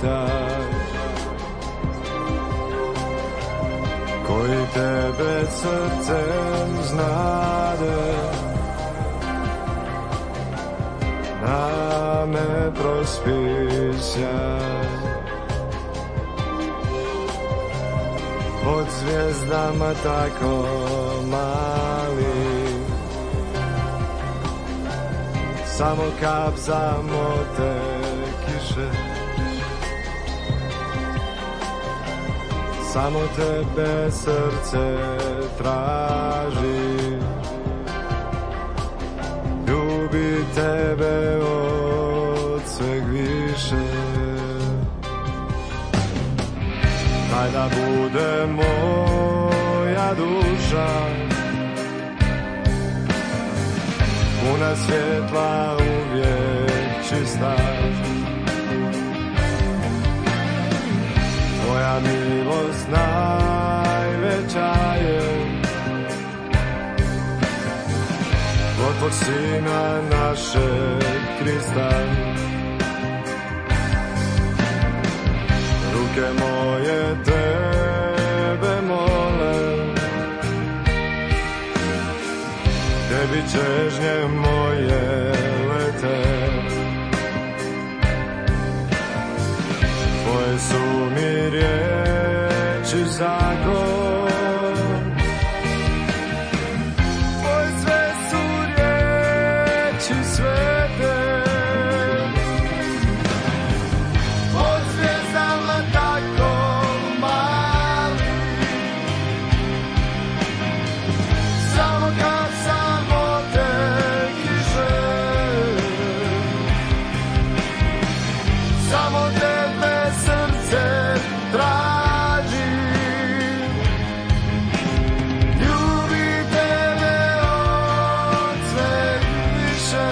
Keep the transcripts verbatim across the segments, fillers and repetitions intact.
taj koji tebe srcem znade, na me prospij sjaj. Pod zvijezdama tako mali, samo kap samote kiše, samo tebe srce traži, ljubi tebe od sveg više. Daj da bude moja duša puna svjetla, uvijek čista. Tvoja milost najveća je, od tvog sina našeg Krista. Ruke moje tebe mole, tebi čežnje moje lete. Tvoje su mi riječi zakon, tvoje sve su riječi svete. Pod zvijezdama tako mali, samo kad samo te kiše, samo tebe srce traži, ljubi tebe od sveg više.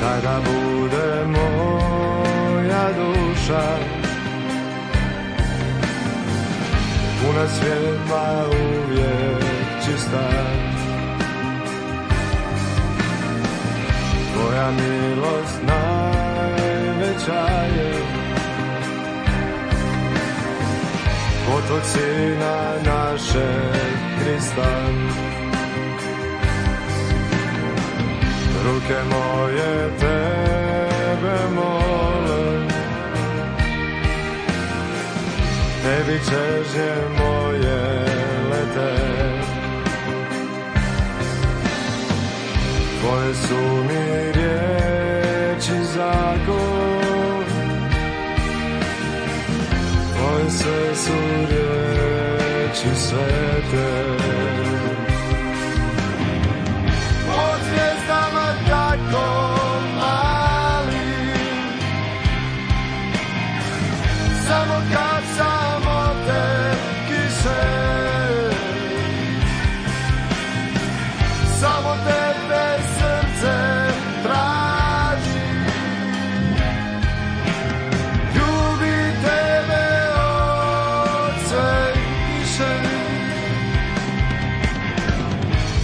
Daj da bude moja duša puna svjetla, uvijek čista. Tvoja milost najveća je, od tvog sina našeg Krista. Ruke moje tebe mole, tebi čežnje moje lete. Tvoje su mi riječi zakon, tvoje sve su riječi svete. Pod zvijezdama tako mali, samo kad samo te kiše, samo tebe srce traži, ljubi tebe od sveg više.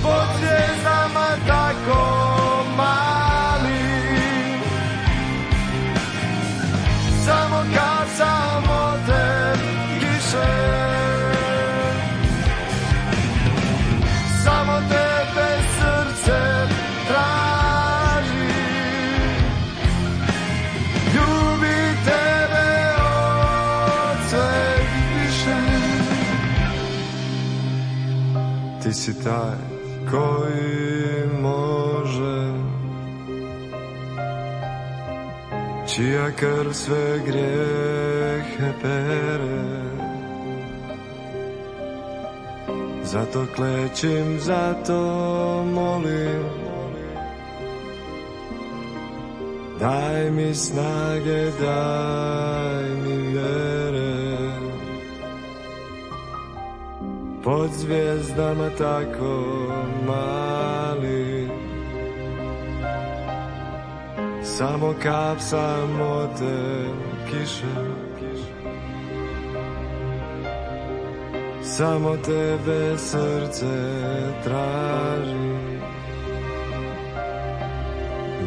Pod zvijezdama tako mali, samo kad samo te kiše, samo tebe srce traži, ljubi tebe od sveg više. Ti si taj koji može, čija krv sve grijehe pere, zato klečim, zato molim. Daj mi snage, daj mi vjere, pod zvijezdama tako mali, samo kap samote kiše, samo tebe srce traži.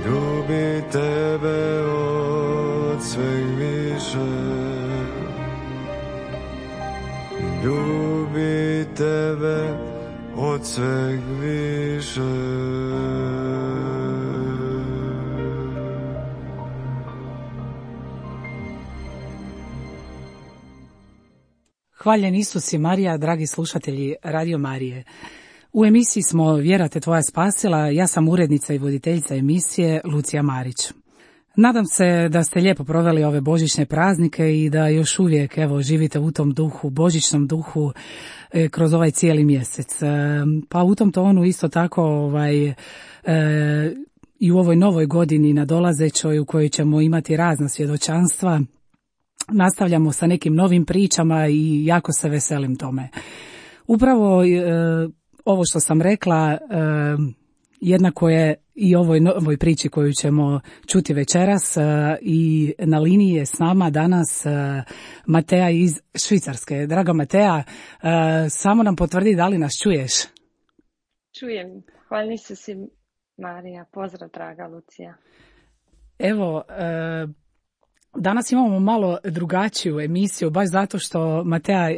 Ljubi tebe od sveg više, ljubi tebe od sveg više. Hvaljen Isus i Marija, dragi slušatelji Radio Marije. U emisiji smo Vjera te tvoja spasila, ja sam urednica i voditeljica emisije Lucija Marić. Nadam se da ste lijepo proveli ove božićne praznike i da još uvijek evo živite u tom duhu, božićnom duhu e, kroz ovaj cijeli mjesec. E, pa u tom tonu isto tako ovaj, e, i u ovoj novoj godini nadolazećoj u kojoj ćemo imati razna svjedočanstva, nastavljamo sa nekim novim pričama i jako se veselim tome. Upravo e, ovo što sam rekla, e, jednako je i ovoj novoj priči koju ćemo čuti večeras, e, i na liniji je s nama danas e, Matea iz Švicarske. Draga Matea, e, samo nam potvrdi da li nas čuješ? Čujem. Hvala se si, Marija. Pozdrav, draga Lucija. Evo, e, danas imamo malo drugačiju emisiju, baš zato što, Matea,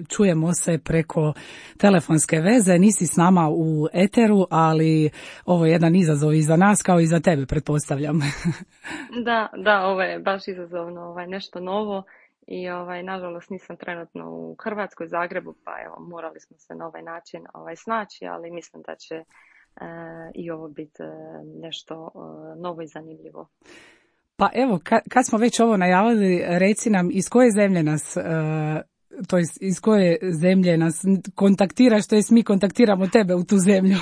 čujemo se preko telefonske veze, nisi s nama u eteru, ali ovo je jedan izazov i za nas kao i za tebe, pretpostavljam. Da, da, ovo je baš izazovno, ovaj, nešto novo i ovaj, nažalost nisam trenutno u Hrvatskoj, Zagrebu, pa evo, morali smo se na ovaj način ovaj, snaći, ali mislim da će e, i ovo biti nešto e, novo i zanimljivo. Pa evo, kad smo već ovo najavili, reci nam iz koje zemlje nas, to jest iz koje zemlje nas kontaktiraš, to jest mi kontaktiramo tebe u tu zemlju.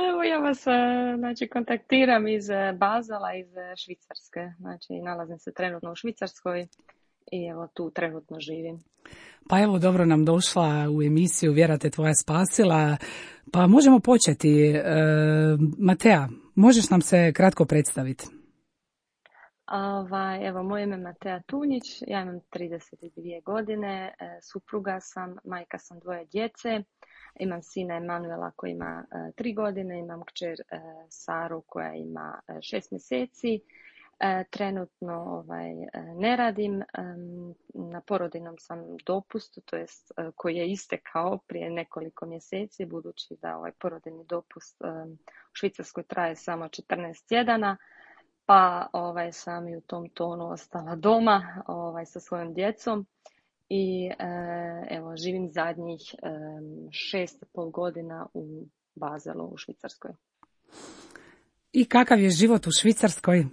Evo ja vas znači, kontaktiram iz Bazela, iz Švicarske. Znači nalazim se trenutno u Švicarskoj i evo tu trenutno živim. Pa evo, dobro nam došla u emisiju Vjera te tvoja spasila. Pa možemo početi. E, Matea, možeš nam se kratko predstaviti? Ovaj, evo, moje ime je Matea Tunjić, ja imam trideset dvije godine, e, supruga sam, majka sam dvoje djece, imam sina Emanuela koji ima e, tri godine, imam kćer e, Saru koja ima e, šest mjeseci. E, trenutno ovaj, e, ne radim, e, na porodiljnom sam dopustu, to jest e, koji je istekao prije nekoliko mjeseci, budući da ovaj porodiljni dopust e, u Švicarskoj traje samo četrnaest tjedana. Pa ovaj, sam i u tom tonu ostala doma ovaj, sa svojom djecom i e, evo, živim zadnjih e, šest i pol godina u Bazelu u Švicarskoj. I kakav je život u Švicarskoj?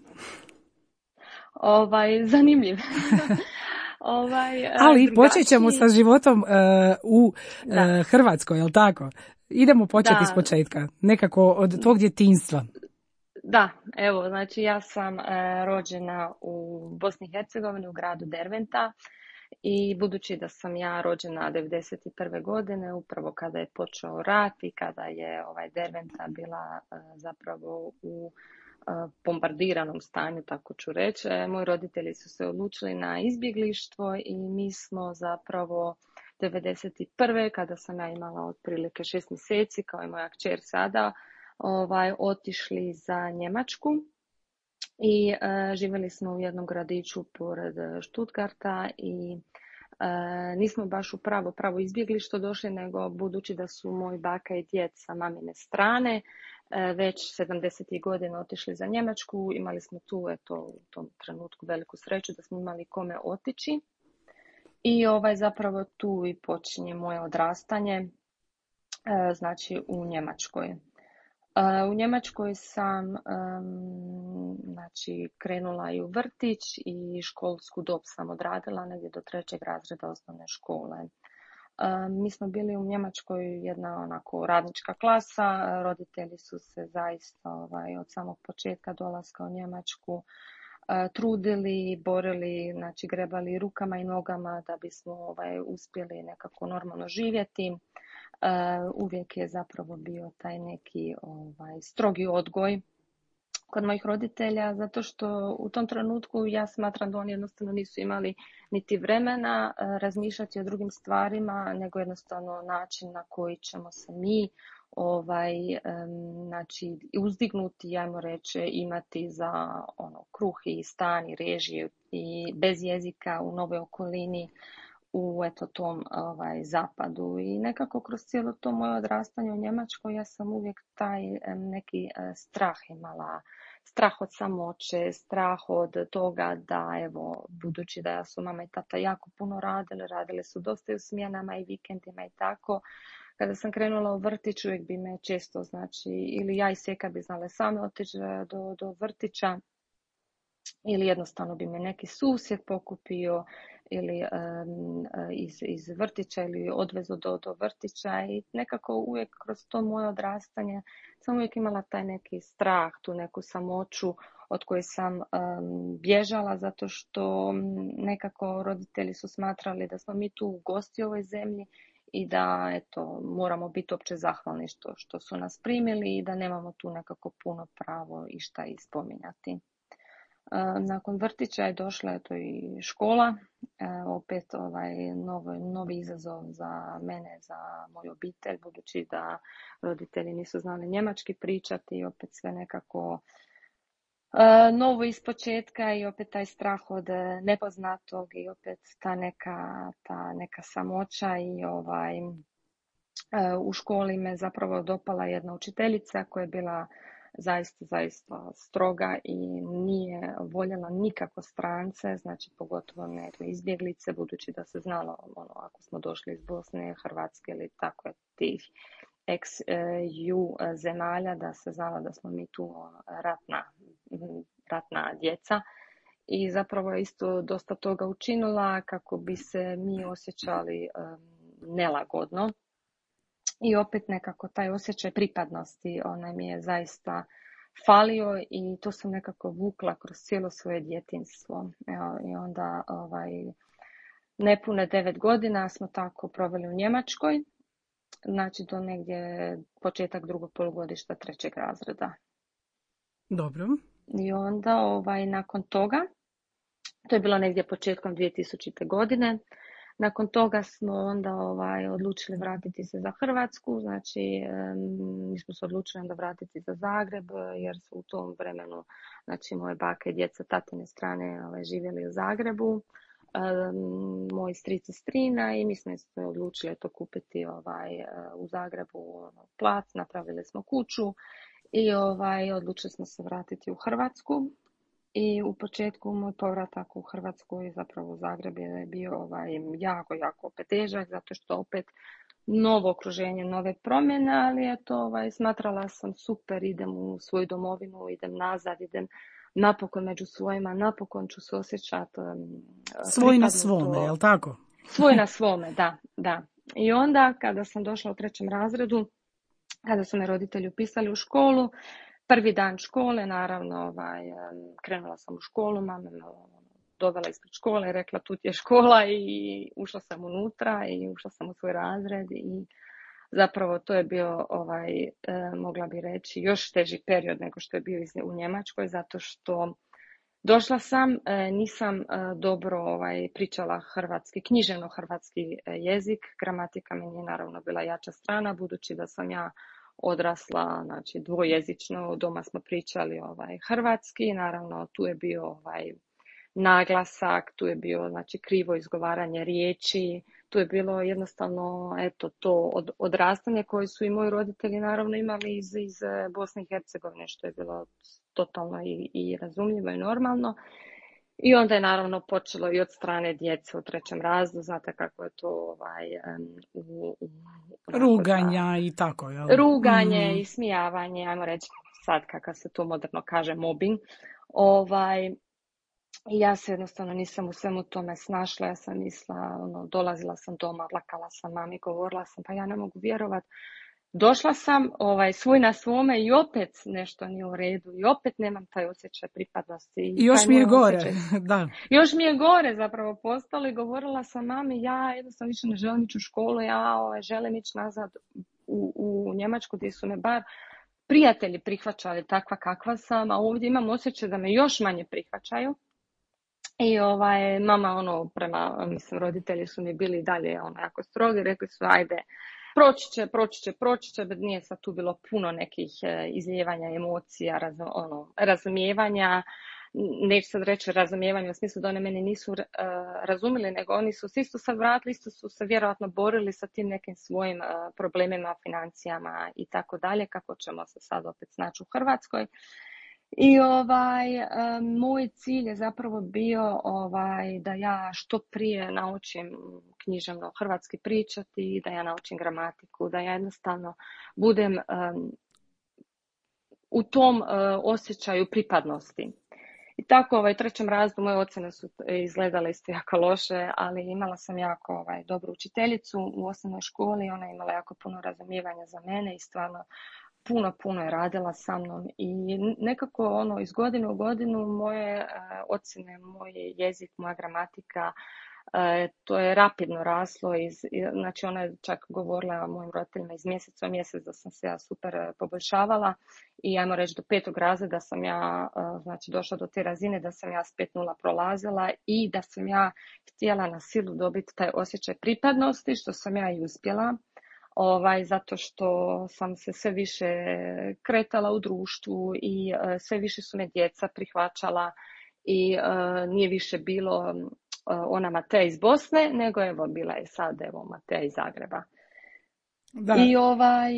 Ovaj, zanimljiv. ovaj, Ali drugačiji... počet ćemo sa životom uh, u uh, Hrvatskoj, jel tako? Idemo početi iz početka, nekako od tvog djetinjstva. Da, evo, znači ja sam e, rođena u Bosni i Hercegovini, u gradu Derventa i budući da sam ja rođena devedeset prve godine, upravo kada je počeo rat i kada je ovaj Derventa bila e, zapravo u e, bombardiranom stanju, tako ću reći, e, moji roditelji su se odlučili na izbjeglištvo i mi smo zapravo devedeset prve kada sam ja imala otprilike šest mjeseci, kao i moja kćer sada, Ovaj, otišli za Njemačku i e, živjeli smo u jednom gradiću pored Stuttgarta i e, nismo baš u pravo, pravo izbjeglištvo došli, nego budući da su moj baka i djed sa mamine strane e, već sedamdesetih godina otišli za Njemačku, imali smo tu eto, u tom trenutku veliku sreću da smo imali kome otići i ovaj, zapravo tu i počinje moje odrastanje, e, znači u Njemačkoj. U Njemačkoj sam um, znači, krenula i u vrtić i školsku dob sam odradila negdje do trećeg razreda osnovne škole. Mi smo bili u Njemačkoj jedna onako radnička klasa, roditelji su se zaista ovaj, od samog početka dolaska u Njemačku trudili, borili, znači grebali rukama i nogama da bismo ovaj, uspjeli nekako normalno živjeti. Uvijek je zapravo bio taj neki ovaj, strogi odgoj kod mojih roditelja, zato što u tom trenutku ja smatram da oni jednostavno nisu imali niti vremena razmišljati o drugim stvarima, nego jednostavno način na koji ćemo se mi ovaj, znači, uzdignuti, ajmo reći, imati za ono, kruh i stan i režije i bez jezika u novoj okolini u eto tom ovaj, zapadu. I nekako kroz cijelo to moje odrastanje u Njemačkoj ja sam uvijek taj neki strah imala. Strah od samoće, strah od toga da, evo, budući da su mama i tata jako puno radili, radili su dosta i u smjenama i vikendima i tako. Kada sam krenula u vrtić, uvijek bi me često, znači, ili ja i Seka bi znale same otići do, do vrtića, ili jednostavno bi me neki susjed pokupio ili um, iz, iz vrtića ili odvezu do, do vrtića i nekako uvijek kroz to moje odrastanje sam uvijek imala taj neki strah, tu neku samoću od koje sam um, bježala zato što nekako roditelji su smatrali da smo mi tu gosti u ovoj zemlji i da eto, moramo biti opće zahvalni što, što su nas primili i da nemamo tu nekako puno pravo i šta ispominjati. Nakon vrtića je došla eto i škola, opet ovaj novi, novi izazov za mene, za moju obitelj, budući da roditelji nisu znali njemački pričati i opet sve nekako novo ispočetka i opet taj strah od nepoznatog i opet ta neka, ta neka samoća i ovaj, u školi me zapravo dopala jedna učiteljica koja je bila zaista, zaista stroga i nije voljela nikako strance, znači pogotovo ne izbjeglice, budući da se znalo ono, ako smo došli iz Bosne, Hrvatske ili tako je tih ex-ju zemalja, da se znalo da smo mi tu ratna, ratna djeca. I zapravo je isto dosta toga učinila kako bi se mi osjećali um, nelagodno. I opet nekako taj osjećaj pripadnosti, onaj mi je zaista falio i to sam nekako vukla kroz cijelo svoje djetinjstvo. Evo, i onda ovaj, nepune devet godina smo tako proveli u Njemačkoj, znači do negdje početak drugog polugodišta trećeg razreda. Dobro. I onda ovaj, nakon toga, to je bilo negdje početkom dvije tisućite. godine, nakon toga smo onda ovaj, odlučili vratiti se za Hrvatsku, znači mi smo se odlučili onda vratiti za Zagreb jer su u tom vremenu, znači moje bake i djeca tatine strane ovaj, živjeli u Zagrebu, um, moj stric i strina i mi smo se odlučili to kupiti ovaj, u Zagrebu plac, napravili smo kuću i ovaj, odlučili smo se vratiti u Hrvatsku. I u početku moj povratak u Hrvatsku i zapravo u Zagreb je bio ovaj, jako, jako opet težak, zato što opet novo okruženje, nove promjene, ali eto, ovaj, smatrala sam super, idem u svoju domovinu, idem nazad, idem napokon među svojima, napokon ću se osjećati um, svoj na svome, je li tako? Svoj na svome, da, da. I onda kada sam došla u trećem razredu, kada su me roditelji upisali u školu, prvi dan škole, naravno, ovaj, krenula sam u školu, mama me dovela ispred škole i rekla tu ti je škola i ušla sam unutra i ušla sam u svoj razred i zapravo to je bio, ovaj, mogla bi reći, još teži period nego što je bio u Njemačkoj, zato što došla sam, nisam dobro ovaj, pričala hrvatski, književno hrvatski jezik, gramatika mi nije naravno bila jača strana, budući da sam ja odrasla, znači dvojezično, doma smo pričali ovaj, hrvatski, naravno tu je bio ovaj, naglasak, tu je bio znači, krivo izgovaranje riječi, tu je bilo jednostavno eto, to od, odrastanje koje su i moji roditelji naravno imali iz, iz Bosne i Hercegovine, što je bilo totalno i, i razumljivo i normalno. I onda je naravno počelo i od strane djece u trećem razredu, znate kako je to ovaj, u, u, ruganja za, i tako, jel? Ruganje mm. i smijavanje, ajmo reći sad kakav se to moderno kaže, mobbing. Ovaj, I ja se jednostavno nisam u svemu tome snašla, ja sam mislila, ono, dolazila sam doma, plakala sam mami, govorila sam, pa ja ne mogu vjerovat. Došla sam ovaj, svoj na svome i opet nešto nije u redu i opet nemam taj osjećaj pripadnosti. I I još taj mi je moj gore, osjećaj, da. još mi je gore zapravo postalo i govorila sam mami, ja jednostavno više ne želim ići u školu, ja ovaj, želim ići nazad u, u Njemačku gdje su me bar prijatelji prihvaćali takva kakva sam, a ovdje imam osjećaj da me još manje prihvaćaju. I ovaj, mama, ono, prema, mislim, roditelji su mi bili dalje, ono, jako strogi, rekli su, ajde, proći će, proći će, proći će, nije sad tu bilo puno nekih e, izlijevanja emocija, raz, ono, razumijevanja, neću sad reći razumijevanje u smislu da one mene nisu uh, razumjeli, nego oni su se isto sad vratili, isto su se vjerojatno borili sa tim nekim svojim uh, problemima, financijama i tako dalje, kako ćemo se sad opet snaći u Hrvatskoj. I ovaj, um, moj cilj je zapravo bio ovaj, da ja što prije naučim književno hrvatski pričati, da ja naučim gramatiku, da ja jednostavno budem um, u tom uh, osjećaju pripadnosti. I tako ovaj, u trećem razredu moje ocjene su izgledale isto jako loše, ali imala sam jako ovaj, dobru učiteljicu u osnovnoj školi, ona je imala jako puno razumijevanja za mene i stvarno puno, puno je radila sa mnom i nekako ono iz godine u godinu moje uh, ocjene, moj jezik, moja gramatika, uh, to je rapidno raslo. Iz, znači ona je čak govorila mojim roditeljima iz mjeseca u mjesec da sam se ja super poboljšavala i ajmo reći do petog razreda sam ja uh, znači došla do te razine da sam ja s pet nula prolazila i da sam ja htjela na silu dobiti taj osjećaj pripadnosti, što sam ja i uspjela. Ovaj, zato što sam se sve više kretala u društvu i uh, sve više su me djeca prihvaćala i uh, nije više bilo uh, ona Mateja iz Bosne, nego evo bila je sad evo Mateja iz Zagreba. Da. I ovaj,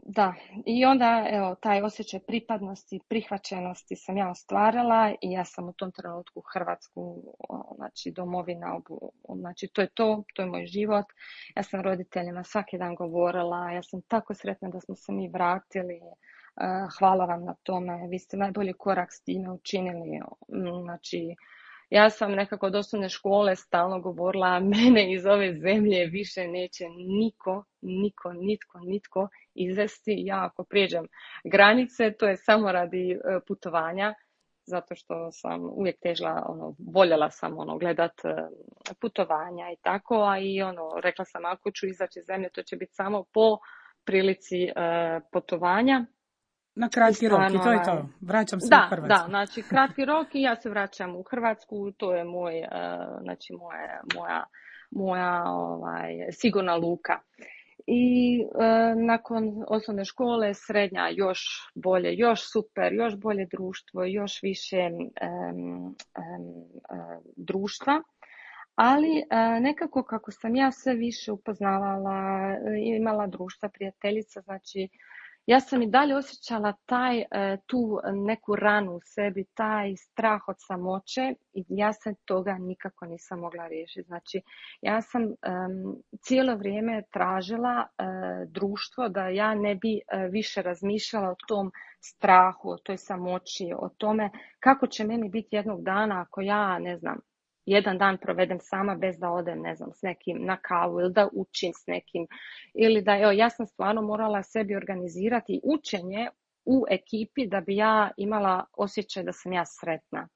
da, i onda evo taj osjećaj pripadnosti, prihvaćenosti sam ja ostvarila i ja sam u tom trenutku Hrvatsku, znači domovina, znači to je to, to je moj život. Ja sam roditeljima svaki dan govorila, ja sam tako sretna da smo se mi vratili, hvala vam na tome, vi ste najbolji korak s time učinili, znači ja sam nekako od osnovne škole stalno govorila, mene iz ove zemlje više neće niko, niko, nitko, nitko izvesti. Ja ako prijeđem granice, to je samo radi putovanja, zato što sam uvijek težila, ono, voljela sam ono, gledat putovanja i tako, a i ono, rekla sam ako ću izaći iz zemlje, to će biti samo po prilici uh, putovanja. Na kratki rok i to je to. Vraćam se da, u Hrvatsku. Da, znači kratki rok i ja se vraćam u Hrvatsku, to je moj, uh, znači moja, moja, moja ovaj, sigurna luka. I uh, nakon osnovne škole, srednja još bolje, još super, još bolje društvo, još više um, um, uh, društva. Ali uh, nekako kako sam ja sve više upoznavala, imala društva, prijateljica, znači ja sam i dalje osjećala taj, tu neku ranu u sebi, taj strah od samoće i ja se toga nikako nisam mogla riješiti. Znači, ja sam um, cijelo vrijeme tražila uh, društvo da ja ne bi uh, više razmišljala o tom strahu, o toj samoći, o tome kako će meni biti jednog dana ako ja, ne znam, jedan dan provedem sama bez da odem, ne znam, s nekim na kavu ili da učim s nekim. Ili da, evo, ja sam stvarno morala sebi organizirati učenje u ekipi da bi ja imala osjećaj da sam ja sretna.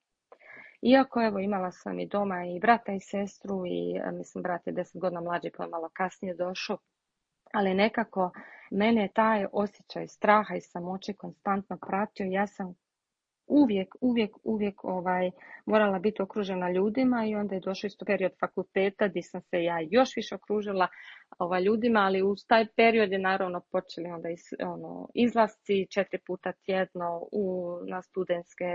Iako, evo, imala sam i doma i brata i sestru i, mislim, brat je deset godina mlađi pa malo kasnije došao. Ali nekako mene je taj osjećaj straha i samoće konstantno pratio. Ja sam uvijek, uvijek, uvijek ovaj, morala biti okružena ljudima i onda je došao isto period fakulteta gdje sam se ja još više okružila ovaj, ljudima, ali uz taj period je naravno počeli onda iz, ono, izlasci četiri puta tjedno u, na studentske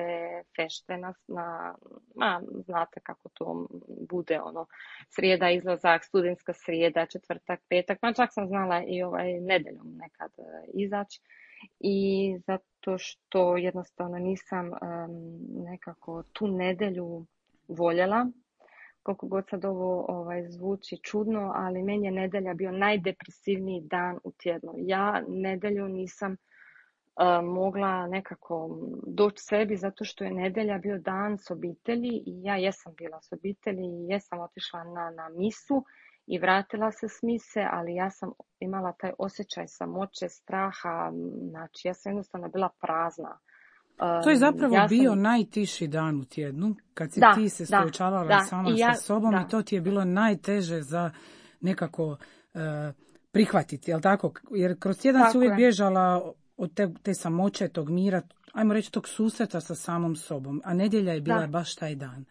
fešte, na, na, na, znate kako to bude, ono, srijeda izlazak, studentska srijeda, četvrtak, petak, pa čak sam znala i ovaj, nedeljom nekad izaći. I zato što jednostavno nisam um, nekako tu nedjelju voljela, koliko god sad ovo ovaj, zvuči čudno, ali meni je nedjelja bio najdepresivniji dan u tjednu. Ja nedjelju nisam mogla nekako doći sebi zato što je nedjelja bio dan s obitelji i ja jesam bila s obitelji i jesam otišla na, na misu i vratila se s mise, ali ja sam imala taj osjećaj samoće, straha, znači ja sam jednostavno bila prazna. To je zapravo ja bio sam... najtiši dan u tjednu, kad si da, ti se da, suočavala da, sama i ja, sa sobom da. i to ti je bilo najteže za nekako uh, prihvatiti, jel tako? Jer kroz tjedan tako si uvijek je. bježala od te, te samoće, tog mira, ajmo reći tog susreta sa samom sobom, a nedjelja je bila da. baš taj dan.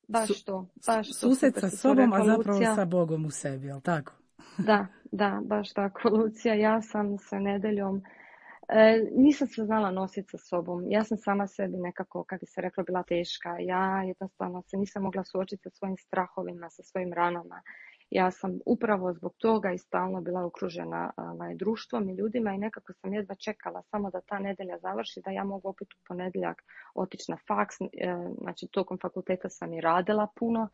Baš to, baš to. Susret sa sobom, rekla, a zapravo Lucija. sa Bogom u sebi, jel tako? Da, da, baš tako, Lucija. Ja sam sa nedeljom, e, nisam se znala nositi sa sobom. Ja sam sama sebi nekako, kako bi se reklo, bila teška. Ja jednostavno se nisam mogla suočiti sa svojim strahovima, sa svojim ranama. Ja sam upravo zbog toga i stalno bila okružena ovaj, društvom i ljudima i nekako sam jedva čekala samo da ta nedjelja završi, da ja mogu opet u ponedjeljak otići na faks. E, znači, tokom fakulteta sam i radila puno.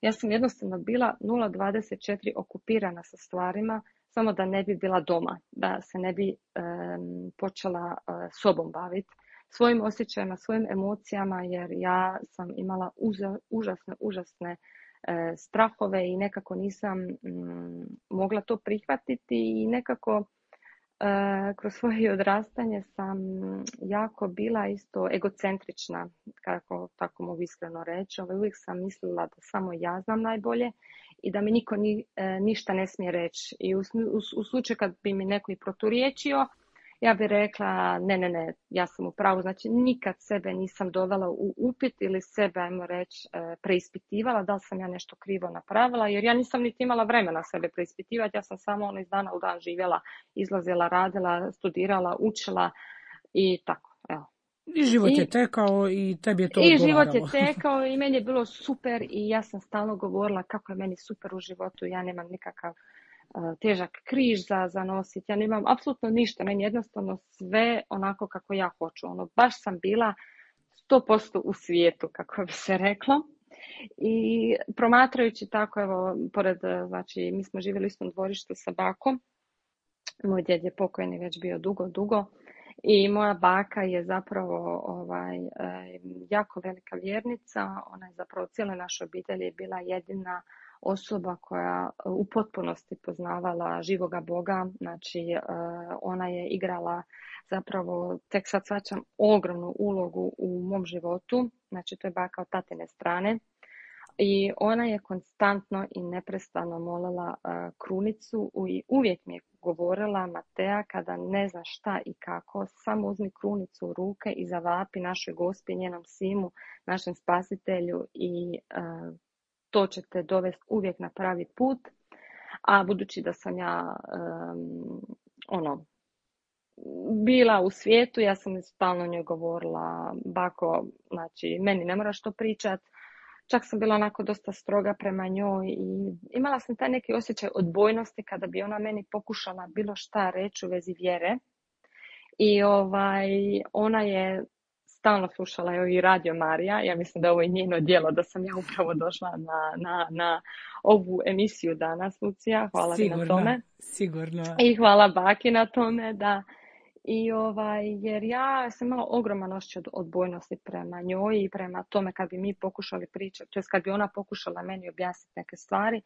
Ja sam jednostavno bila nula dvadeset četiri okupirana sa stvarima, samo da ne bi bila doma, da se ne bi um, počela uh, sobom baviti, svojim osjećajima, svojim emocijama, jer ja sam imala uza, užasne, užasne uh, strahove i nekako nisam um, mogla to prihvatiti i nekako uh, kroz svoje odrastanje sam jako bila isto egocentrična, kako tako mogu iskreno reći. Ove, uvijek sam mislila da samo ja znam najbolje i da mi niko ni, e, ništa ne smije reći. I u, u, u slučaju kad bi mi neko i proturječio, ja bi rekla ne, ne, ne, ja sam u pravu. Znači nikad sebe nisam dovela u upit ili sebe, ajmo reći, e, preispitivala da li sam ja nešto krivo napravila, jer ja nisam niti imala vremena sebe preispitivati. Ja sam samo ono iz dana u dan živjela, izlazila, radila, studirala, učila i tako, evo. I život I, je tekao i tebi je to I odgovaralo. život je tekao i meni je bilo super i ja sam stalno govorila kako je meni super u životu. Ja nemam nikakav uh, težak križ za, za nositi. Ja nemam apsolutno ništa. Meni jednostavno sve onako kako ja hoću. Ono, baš sam bila sto posto u svijetu, kako bi se reklo. I promatrajući tako, evo, pored, znači, mi smo živjeli u istom dvorištu sa bakom. Moj djed je pokojni već bio dugo, dugo. I moja baka je zapravo ovaj, jako velika vjernica. Ona je zapravo cijela naša obitelj je bila jedina osoba koja u potpunosti poznavala živoga Boga. Znači, ona je igrala zapravo, tek sad shvaćam, ogromnu ulogu u mom životu. Znači, to je baka od tatine strane. I ona je konstantno i neprestano molila uh, krunicu i uvijek mi je govorila: Mateja, kada ne znaš šta i kako, samo uzmi krunicu u ruke i zavapi našoj Gospi, njenom simu, našem spasitelju i uh, to će te dovesti uvijek na pravi put. A budući da sam ja um, ono bila u svijetu, ja sam stalno njoj govorila: bako, znači meni ne moraš to pričat. Čak sam bila onako dosta stroga prema njoj i imala sam taj neki osjećaj odbojnosti kada bi ona meni pokušala bilo šta reći u vezi vjere. I ovaj, ona je stalno slušala evo, i Radio Marija. Ja mislim da ovo je njeno djelo, da sam ja upravo došla na, na, na ovu emisiju danas, Lucija. Hvala sigurno, ti na tome. Sigurno. I hvala baki na tome, da. I ovaj, jer ja sam imala ogroman osjećaj od odbojnosti prema njoj i prema tome kad bi mi pokušali pričati, to jest kad bi ona pokušala meni objasniti neke stvari.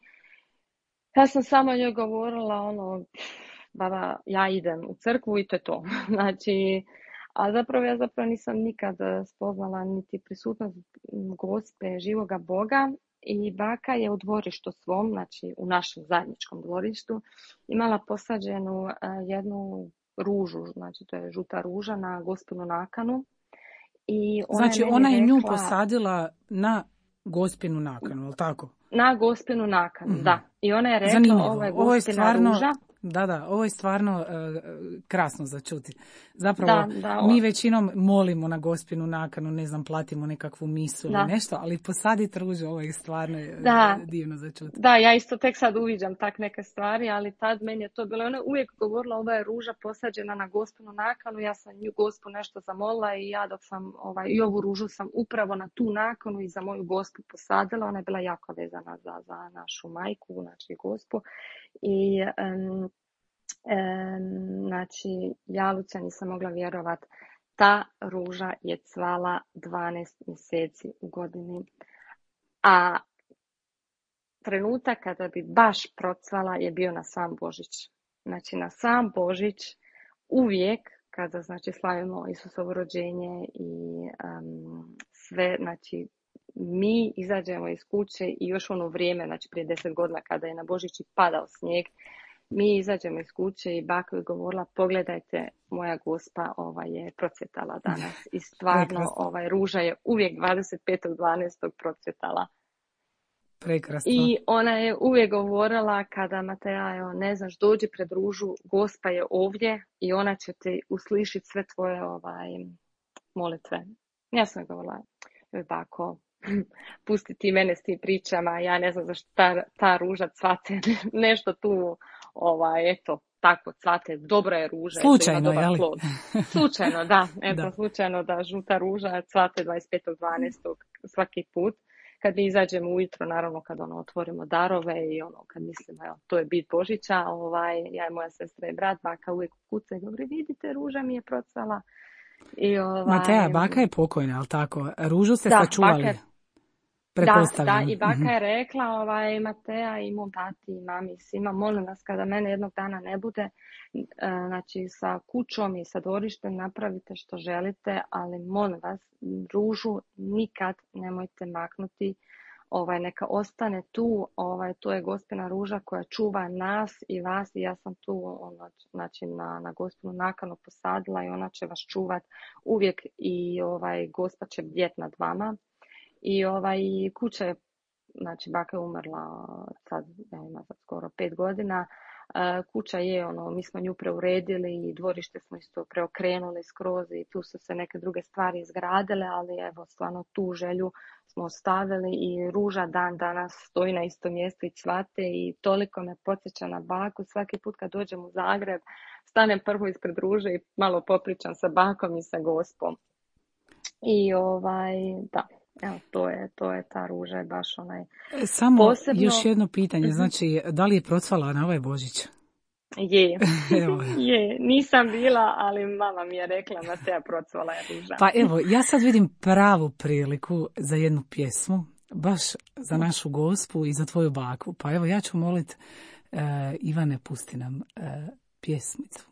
Ja sam samo njoj govorila ono, baba, ja idem u crkvu i to je to. Znači, a zapravo ja zapravo nisam nikad spoznala niti prisutnost Gospe, živoga Boga. I baka je u dvorištu svom, znači u našem zajedničkom dvorištu, imala posađenu jednu ružu, znači to je žuta ruža na Gospinu nakanu. I ona znači je ona je rekla, nju posadila na Gospinu nakanu, je li tako? Na Gospinu nakanu, mm-hmm. Da. I ona je rekla: zanimljivo. Ovo je Gospina ovo je stvarno, ruža. Da, da, ovo je stvarno uh, krasno za čuti. Zapravo, da, da, mi većinom molimo na Gospinu nakanu, ne znam, platimo nekakvu misu ili nešto, ali posaditi ružu, ovo je stvarno da. divno za čuti. Da, ja isto tek sad uviđam tak neke stvari, ali tad meni je to bilo. Ona uvijek govorila: ova je ruža posađena na Gospinu nakanu. Ja sam nju Gospu nešto zamolila i ja dok sam ovaj, i ovu ružu sam upravo na tu nakanu i za moju Gospu posadila. Ona je bila jako vezana za, za našu majku, znači Gospu. I um, znači, ja, Lucija, nisam mogla vjerovat. Ta ruža je cvala dvanaest mjeseci u godini. A trenutak kada bi baš procvala je bio na sam Božić. Znači, na sam Božić uvijek kada, znači, slavimo Isusovo rođenje i um, sve, znači, mi izađemo iz kuće i još ono vrijeme, znači prije deset godina kada je na Božići padao snijeg, mi izađemo iz kuće i baka je govorila, pogledajte, moja Gospa ovaj, je procvjetala danas. I stvarno, ovaj, ruža je uvijek dvadeset petog dvanaestog procvjetala. Prekrasno. I ona je uvijek govorila kada Mateja, evo, ne znaš, dođi pred ružu, Gospa je ovdje i ona će te uslišiti sve tvoje ovaj, molitve. Ja sam govorila, joj bako, pusti ti mene s tim pričama, ja ne znam zašto ta, ta ruža cvate, nešto tu, ovaj, eto, tako cvate, dobra je ruža. Slučajno, jel? Slučajno, da, eto, da. slučajno da žuta ruža cvate dvadeset petog dvanaestog svaki put. Kad mi izađemo ujutro, naravno kad ono otvorimo darove i ono kad mislimo, evo, to je bit Božića, ovaj, ja i moja sestra i brat, baka uvijek kuca i govori, vidite, ruža mi je procvala. I, ovaj, Mateja, baka je pokojna, ali tako? Ružu ste da, sačuvali? Baka, da, da, i baka je rekla, ovaj, Mateja i mom tati i mami svima, molim vas kada mene jednog dana ne bude, znači sa kućom i sa dvorištem napravite što želite, ali molim vas, ružu nikad nemojte maknuti, ovaj, neka ostane tu, ovaj, to je Gospina ruža koja čuva nas i vas i ja sam tu ono, znači, na, na Gospinu nakanu posadila i ona će vas čuvat uvijek i ovaj, Gospa će bdjet nad vama. I ovaj, kuća je, znači baka je umrla sad, ja ima sad skoro pet godina, uh, kuća je, ono, mi smo nju preuredili i dvorište smo isto preokrenuli skroz i tu su se neke druge stvari izgradile, ali evo, stvarno tu želju smo ostavili i ruža dan danas stoji na istom mjestu i cvate i toliko me podsjeća na baku. Svaki put kad dođem u Zagreb, stanem prvo ispred ruže i malo popričam sa bakom i sa Gospom. I ovaj, da. Evo, to je, to je ta ruža, je baš onaj Samo posebno... još jedno pitanje, znači, da li je procvala na ovaj Božić? Je, je, nisam bila, ali mama mi je rekla, Mateja, procvala je ruža. Pa evo, ja sad vidim pravu priliku za jednu pjesmu, baš za našu Gospu i za tvoju baku. Pa evo, ja ću molit uh, Ivane, pusti nam uh, pjesmicu.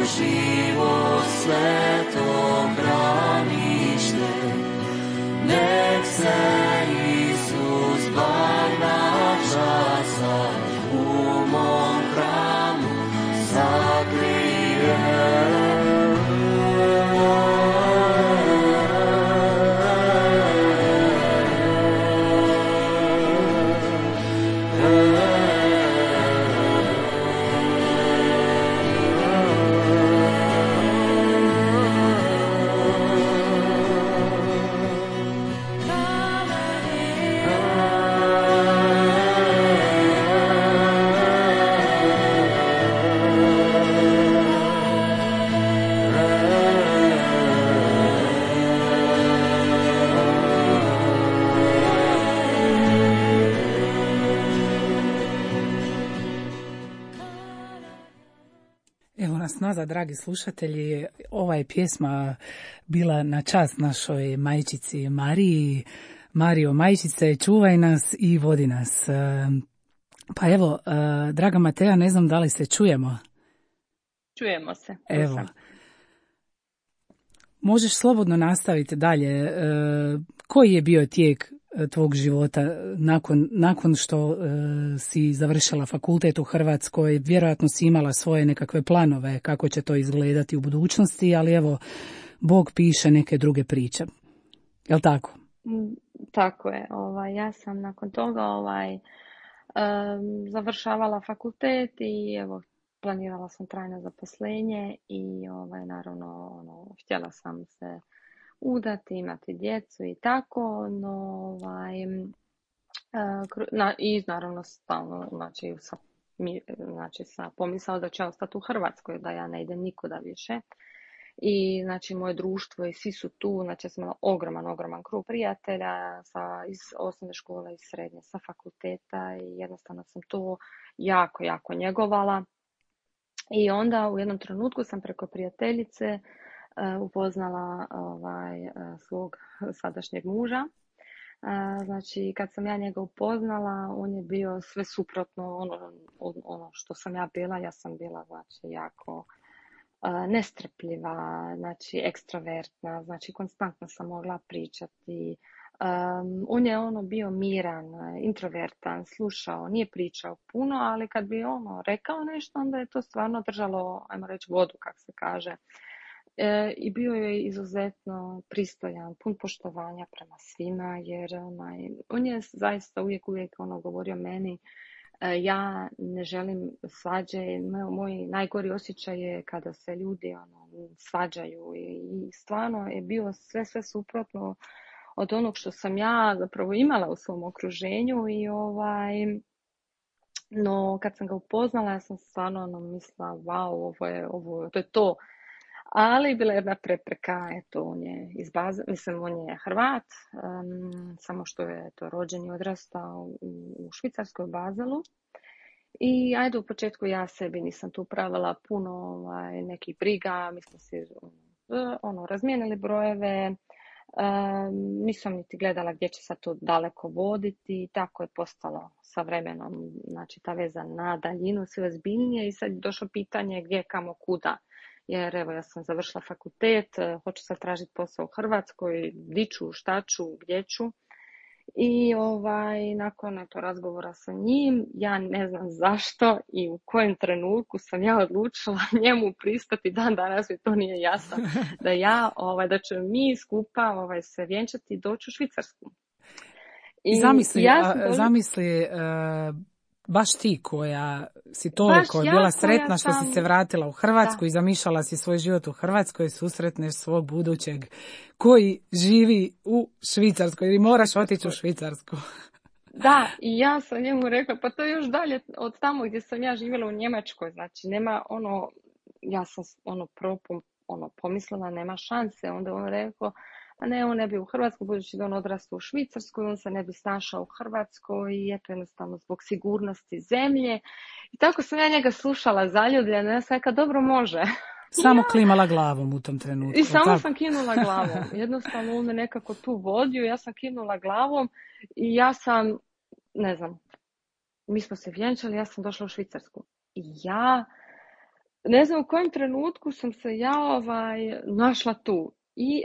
She nas nazad, dragi slušatelji. Ova je pjesma bila na čast našoj majčici Mariji. Marijo, majčice, čuvaj nas i vodi nas. Pa evo, draga Mateja, ne znam da li se čujemo. Čujemo se. Evo. Možeš slobodno nastaviti dalje. Koji je bio tijek tvog života nakon, nakon što uh, si završila fakultet u Hrvatskoj? Vjerojatno si imala svoje nekakve planove kako će to izgledati u budućnosti, ali evo, Bog piše neke druge priče. Jel' tako? Tako je. Ovaj, ja sam nakon toga ovaj, um, završavala fakultet i evo, planirala sam trajno zaposlenje i ovaj, naravno ono, htjela sam se udati, imati djecu i tako, no ovaj, na, i naravno stalno, znači sa, znači sa pomisao da će ostati u Hrvatskoj, da ja ne idem nikuda više. I znači moje društvo i svi su tu, znači ja sam imala ogroman, ogroman krug prijatelja sa, iz osnovne škole, iz srednje, sa fakulteta i jednostavno sam to jako, jako njegovala. I onda u jednom trenutku sam preko prijateljice upoznala ovaj, svog sadašnjeg muža. Znači, kad sam ja njega upoznala, on je bio sve suprotno ono, ono što sam ja bila. Ja sam bila, znači, jako nestrpljiva, znači, ekstrovertna, znači, konstantno sam mogla pričati. Um, on je ono bio miran, introvertan, slušao, nije pričao puno, ali kad bi ono rekao nešto, onda je to stvarno držalo, ajmo reći, vodu, kako se kaže. E, I bio je izuzetno pristojan, pun poštovanja prema svima, jer onaj, on je zaista uvijek, uvijek ono govorio meni, e, ja ne želim svađe, moj najgori osjećaj je kada se ljudi ono, svađaju i, i stvarno je bio sve, sve suprotno od onog što sam ja zapravo imala u svom okruženju i ovaj, no kad sam ga upoznala, ja sam stvarno ono, mislila, wow, ovo je, ovo, to je to. Ali bila je jedna prepreka, eto, on je iz Baze, mislim, on je Hrvat, um, samo što je to rođen i odrastao u, u Švicarskoj, Bazelu. I ajde, u početku ja sebi nisam tu pravila puno ovaj, nekih briga, mi smo si ono, razmijenili brojeve, um, nisam niti gledala gdje će sad to daleko voditi i tako je postalo sa vremenom, znači ta veza na daljinu sve ozbiljnije i sad je došlo pitanje gdje, kamo, kuda. Jer evo ja sam završila fakultet, hoću sad tražiti posao u Hrvatskoj, di ću, šta ću, gdje ću. I ovaj, nakon eto, razgovora sa njim, ja ne znam zašto i u kojem trenutku sam ja odlučila njemu pristati, dan danas mi to nije jasno, da ja, ovaj, da ću mi skupa ovaj, se vjenčati i doći u Švicarsku. I zamisli, ja sam dođu... zamisli uh... baš ti koja si toliko ja bila sretna što sam... si se vratila u Hrvatsku da. I zamišljala si svoj život u Hrvatskoj, susretneš svog budućeg koji živi u Švicarskoj i moraš otići u Švicarsku. Da, i ja sam njemu rekla, pa to je još dalje od tamo gdje sam ja živjela u Njemačkoj, znači nema ono, ja sam ono propom, ono pomislila, nema šanse, onda on rekao, a ne, on ne bi u Hrvatskoj, budući da on odrastao u Švicarskoj, on se ne bi snašao u Hrvatskoj i eto jednostavno zbog sigurnosti zemlje. I tako sam ja njega slušala zaljubljena, ja sam rekla, dobro može. Samo ja. Klimala glavom u tom trenutku. I samo tako. Sam kinula glavom. Jednostavno on me nekako tu vodio, ja sam kinula glavom i ja sam, ne znam, mi smo se vjenčali, ja sam došla u Švicarsku. I ja, ne znam u kojem trenutku sam se ja ovaj, našla tu. I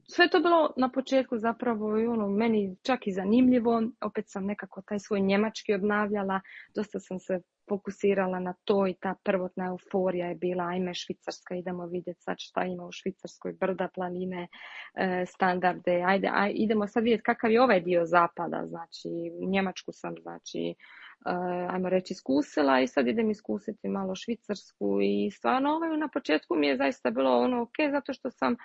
sve to bilo na početku zapravo i ono, meni čak i zanimljivo. Opet sam nekako taj svoj njemački obnavljala. Dosta sam se fokusirala na to i ta prvotna euforija je bila ajme Švicarska, idemo vidjeti sad šta ima u Švicarskoj, brda, planine, e, standarde. Ajde, aj, idemo sad vidjeti kakav je ovaj dio zapada. Znači, Njemačku sam, znači, Uh, ajmo reći iskusila i sad idem iskusiti malo Švicarsku i stvarno ovaj, na početku mi je zaista bilo ono ok, zato što sam uh,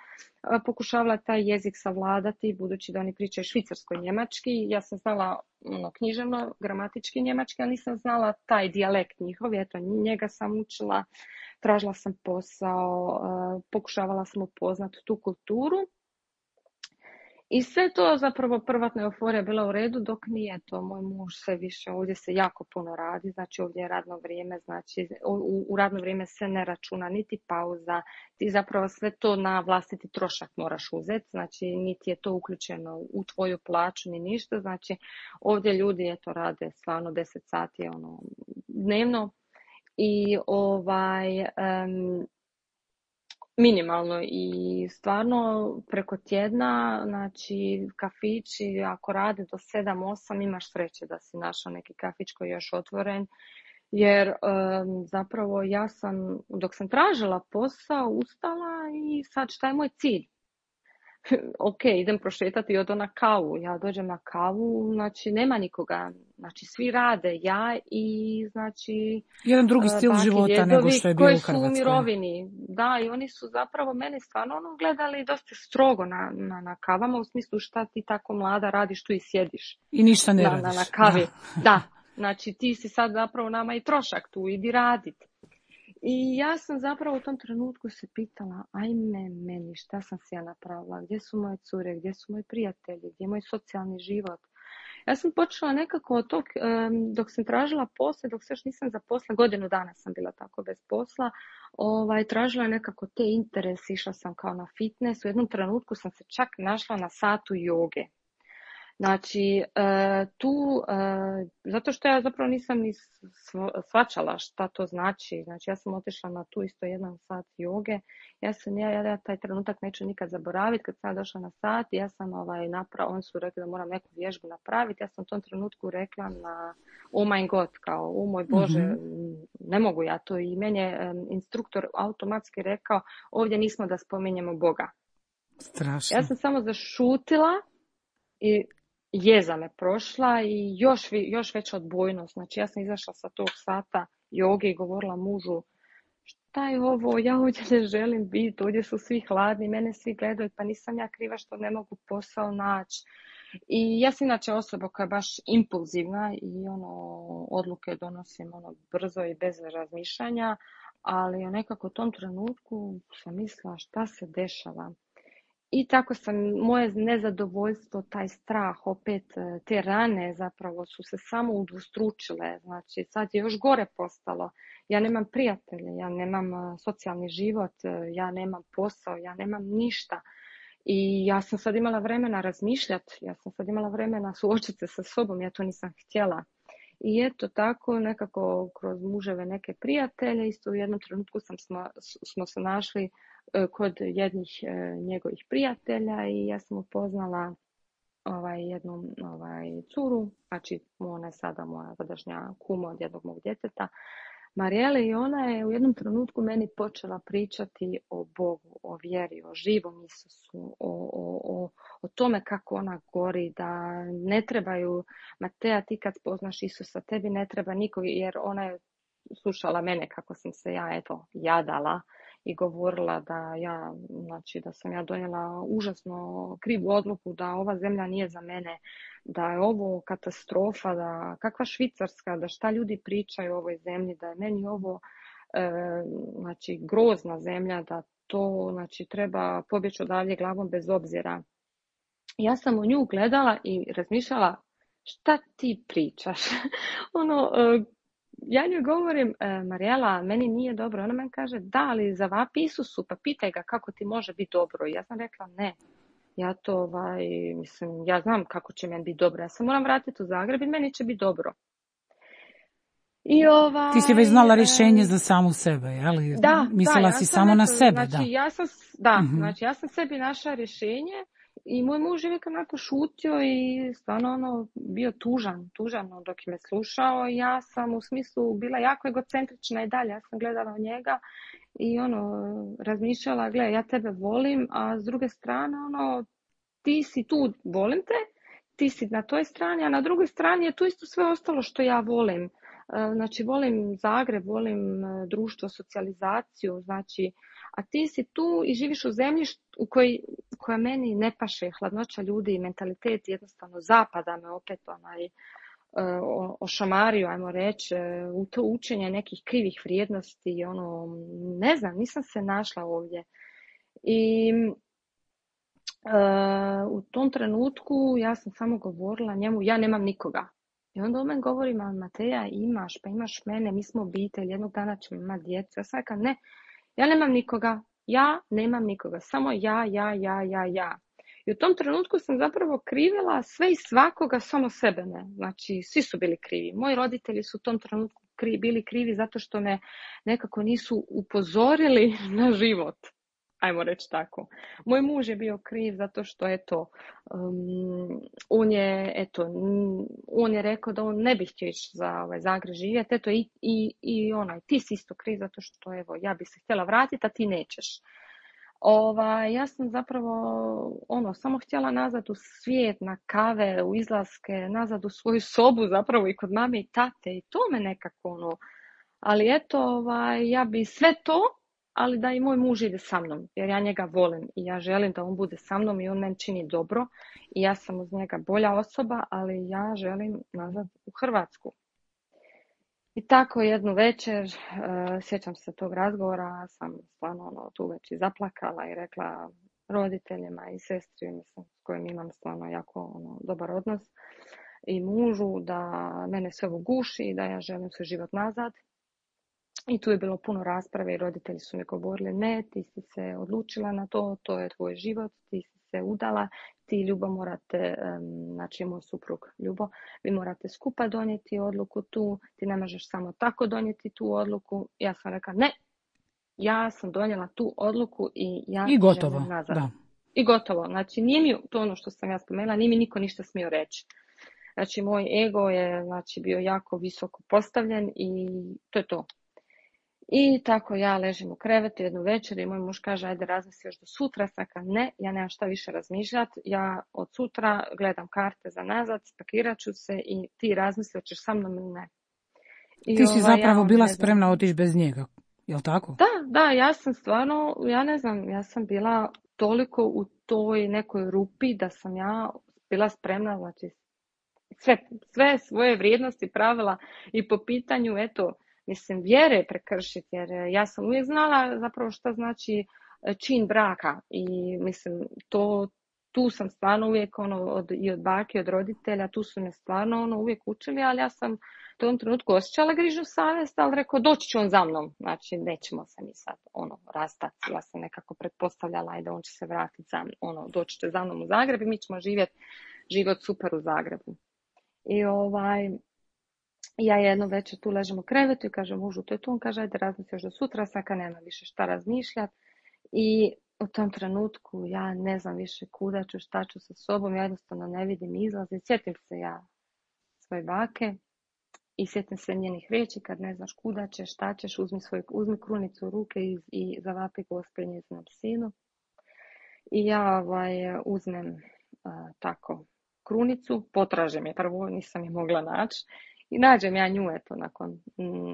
pokušavala taj jezik savladati, budući da oni pričaju švicarsko i njemački. Ja sam znala ono, književno, gramatički njemački, ali nisam znala taj dijalekt njihov, eto njega sam učila, tražila sam posao, uh, pokušavala sam upoznati tu kulturu. I sve to zapravo privatna euforija bila u redu, dok nije to. Moj muž sve više, ovdje se jako puno radi, znači ovdje je radno vrijeme, znači u, u radno vrijeme se ne računa niti pauza, ti zapravo sve to na vlastiti trošak moraš uzeti, znači niti je to uključeno u tvoju plaću ni ništa, znači ovdje ljudi eto rade stvarno deset sati ono, dnevno i ovaj... Um, minimalno i stvarno preko tjedna, znači kafići ako rade do sedam osam imaš sreće da si našao neki kafić koji je još otvoren, jer um, zapravo ja sam, dok sam tražila posao, ustala i sad šta je moj cilj? Ok, idem prošetati i odo na kavu. Ja dođem na kavu, znači nema nikoga. Znači svi rade, ja i znači... Jedan drugi stil baki, života djedovi nego što je bio u Hrvatskoj. Koji su u mirovini. Da, i oni su zapravo mene stvarno ono gledali dosta strogo na, na, na kavama, u smislu šta ti tako mlada radiš tu i sjediš. I ništa ne na, radiš. Na, na kavi. Da. da, znači ti si sad zapravo nama i trošak tu, idi radit. I ja sam zapravo u tom trenutku se pitala, ajme meni, šta sam se ja napravila, gdje su moje cure, gdje su moji prijatelji, gdje je moj socijalni život. Ja sam počela nekako od tog, dok sam tražila posle, dok se još nisam zaposla, godinu dana sam bila tako bez posla, ovaj, tražila nekako te interese, išla sam kao na fitness, u jednom trenutku sam se čak našla na satu joge. Znači, tu, zato što ja zapravo nisam ni shvaćala šta to znači, znači ja sam otišla na tu isto jedan sat joge, ja sam, ja, ja taj trenutak neću nikad zaboraviti, kad sam došla na sat, ja sam ovaj, napravila, oni su rekli da moram neku vježbu napraviti, ja sam u tom trenutku rekla na oh my god, kao, o moj Bože, mm-hmm. ne mogu ja to, i meni je um, instruktor automatski rekao, ovdje nismo da spominjemo Boga. Strašno. Ja sam samo zašutila i jeza me prošla i još, još veća odbojnost. Znači ja sam izašla sa tog sata joge i govorila mužu, šta je ovo, ja ovdje ne želim biti, ovdje su svi hladni, mene svi gledaju, pa nisam ja kriva što ne mogu posao naći. I ja sam inače osoba koja je baš impulzivna i ono, odluke donosim ono, brzo i bez razmišljanja, ali nekako u tom trenutku sam mislila šta se dešava. I tako sam, moje nezadovoljstvo, taj strah, opet te rane zapravo su se samo udvostručile. Znači sad je još gore postalo. Ja nemam prijatelje, ja nemam socijalni život, ja nemam posao, ja nemam ništa. I ja sam sad imala vremena razmišljati, ja sam sad imala vremena suočiti se sa sobom, ja to nisam htjela. I eto tako nekako kroz muževe neke prijatelje, isto u jednom trenutku sam smo, smo se našli kod jednih njegovih prijatelja i ja sam upoznala ovaj, jednu ovaj, curu, znači ona je sada moja sadašnja kuma od jednog mog djeteta, Marijele, i ona je u jednom trenutku meni počela pričati o Bogu, o vjeri, o živom Isusu, o, o, o, o tome kako ona gori, da ne trebaju, Mateja, ti kad spoznaš Isusa, tebi ne treba nikog, jer ona je slušala mene kako sam se ja eto jadala i govorila da ja, znači da sam ja donijela užasno krivu odluku, da ova zemlja nije za mene, da je ovo katastrofa, da kakva Švicarska, da šta ljudi pričaju o ovoj zemlji, da je meni ovo e, znači grozna zemlja, da to znači treba pobjeći odavdje glavom bez obzira. Ja sam u nju gledala i razmišljala šta ti pričaš. ono e, Ja njoj govorim, e, Marijela, meni nije dobro. Ona meni kaže, da, ali zavapi Isusu, pa pitaj ga kako ti može biti dobro. I ja sam rekla, ne, ja to, ovaj, mislim, ja znam kako će meni biti dobro. Ja se moram vratiti u Zagreb i meni će biti dobro. I ovaj, ti si već znala rješenje e, za samu sebe, jeli? Da, mislila da, ja si samo neto, na sebe, znači, da. Ja sam, da, uh-huh. znači ja sam sebi našla rješenje. I moj muž je uvijek onako šutio i stvarno ono bio tužan, tužan dok je me slušao. Ja sam u smislu bila jako egocentrična i dalje. Ja sam gledala u njega i ono razmišljala, gle, ja tebe volim, a s druge strane ono ti si tu, volim te, ti si na toj strani, a na drugoj strani je tu isto sve ostalo što ja volim. Znači volim Zagreb, volim društvo, socijalizaciju, znači, a ti si tu i živiš u zemlji u kojoj, koja meni ne paše, hladnoća ljudi i mentalitet jednostavno zapada me opet onaj ošamario, ajmo reći, u to učenje nekih krivih vrijednosti, ono, ne znam, nisam se našla ovdje. I u tom trenutku ja sam samo govorila njemu, ja nemam nikoga. I onda on meni govori, ma Mateja, imaš, pa imaš mene, mi smo obitelj, jednog dana ćemo imati djecu. Ja sam rekla, ne, ja nemam nikoga, ja nemam nikoga, samo ja, ja, ja, ja, ja. I u tom trenutku sam zapravo krivila sve i svakoga, samo sebe ne. Znači, svi su bili krivi. Moji roditelji su u tom trenutku kri, bili krivi zato što me nekako nisu upozorili na život. Ajmo reći tako. Moj muž je bio kriv zato što, eto, um, on je, eto, on je rekao da on ne bi htio ići za ovaj Zagreb živjeti, eto, i, i, i onaj, ti si isto kriv zato što, evo, ja bi se htjela vratiti, a ti nećeš. Ova, ja sam zapravo, ono, samo htjela nazad u svijet, na kave, u izlaske, nazad u svoju sobu, zapravo i kod mame i tate, i to me nekako, ono, ali eto, ovaj, ja bi sve to, ali da i moj muž ide sa mnom, jer ja njega volim i ja želim da on bude sa mnom i on meni čini dobro i ja sam uz njega bolja osoba, ali ja želim nazad u Hrvatsku. I tako jednu večer, uh, sjećam se tog razgovora, sam stvarno ono, tu već i zaplakala i rekla roditeljima i sestri, mislim, s kojim imam stvarno jako ono, dobar odnos, i mužu da mene sve ovo guši i da ja želim svoj život nazad. I tu je bilo puno rasprave i roditelji su mi govorili, ne, ti si se odlučila na to, to je tvoj život, ti si se udala, ti, Ljubo, morate, znači moj suprug Ljubo, vi morate skupa donijeti odluku tu, ti ne možeš samo tako donijeti tu odluku. Ja sam rekla, ne, ja sam donijela tu odluku i ja I gotovo, želim nazad. Da. I gotovo, znači nije mi to ono što sam ja spomenula, nije mi niko ništa smio reći. Znači moj ego je znači, bio jako visoko postavljen i to je to. I tako ja ležim u krevetu jednu večer i moj muž kaže, ajde razmisli još do sutra. Saka, ne, ja nemam šta više razmišljati. Ja od sutra gledam karte za nazad, spakirat ću se i ti razmisli, hoćeš sa mnom ili ne. I ti si ova, zapravo ja, bila znam, spremna otići bez njega, jel tako? Da, da, ja sam stvarno, ja ne znam, ja sam bila toliko u toj nekoj rupi da sam ja bila spremna, znači sve, sve svoje vrijednosti pravila i po pitanju, eto, mislim, vjere prekršiti, jer ja sam uvijek znala zapravo šta znači čin braka i mislim, to, tu sam stvarno uvijek ono, od, i od bake, od roditelja, tu su me stvarno ono, uvijek učili, ali ja sam u tom trenutku osjećala grižu savjest, ali rekao, doći će on za mnom, znači nećemo se mi sad ono, rastati, ja sam nekako pretpostavljala da on će se vratiti za mnom, ono, doći će za mnom u Zagreb i mi ćemo živjeti život super u Zagrebu. I ovaj, ja jedno večer tu ležem u krevetu i kažem mužu, to je tu, on kaže, ajde razmisli još do sutra, saka nema više šta razmišljati. I u tom trenutku ja ne znam više kuda ću, šta ću sa sobom, ja jednostavno ne vidim izlaz. I sjetim se ja svoje bake i sjetim se njenih riječi, kad ne znaš kuda ćeš, šta ćeš, uzmi, svoj, uzmi krunicu u ruke i, i zavapi Gospel njezinom sinu. I ja ovaj, uzmem a, tako krunicu, potražem je, prvo nisam je mogla naći i nađem ja nju eto nakon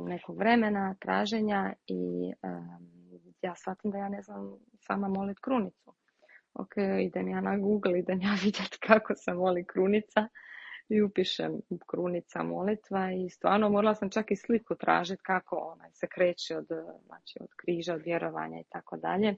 nekog vremena traženja i um, ja shvatim da ja ne znam sama molit krunicu. Ok, idem ja na Google, idem ja vidjeti kako se moli krunica i upišem krunica molitva i stvarno morala sam čak i sliku tražiti kako ona se kreće od, znači, od križa, od vjerovanja i tako dalje.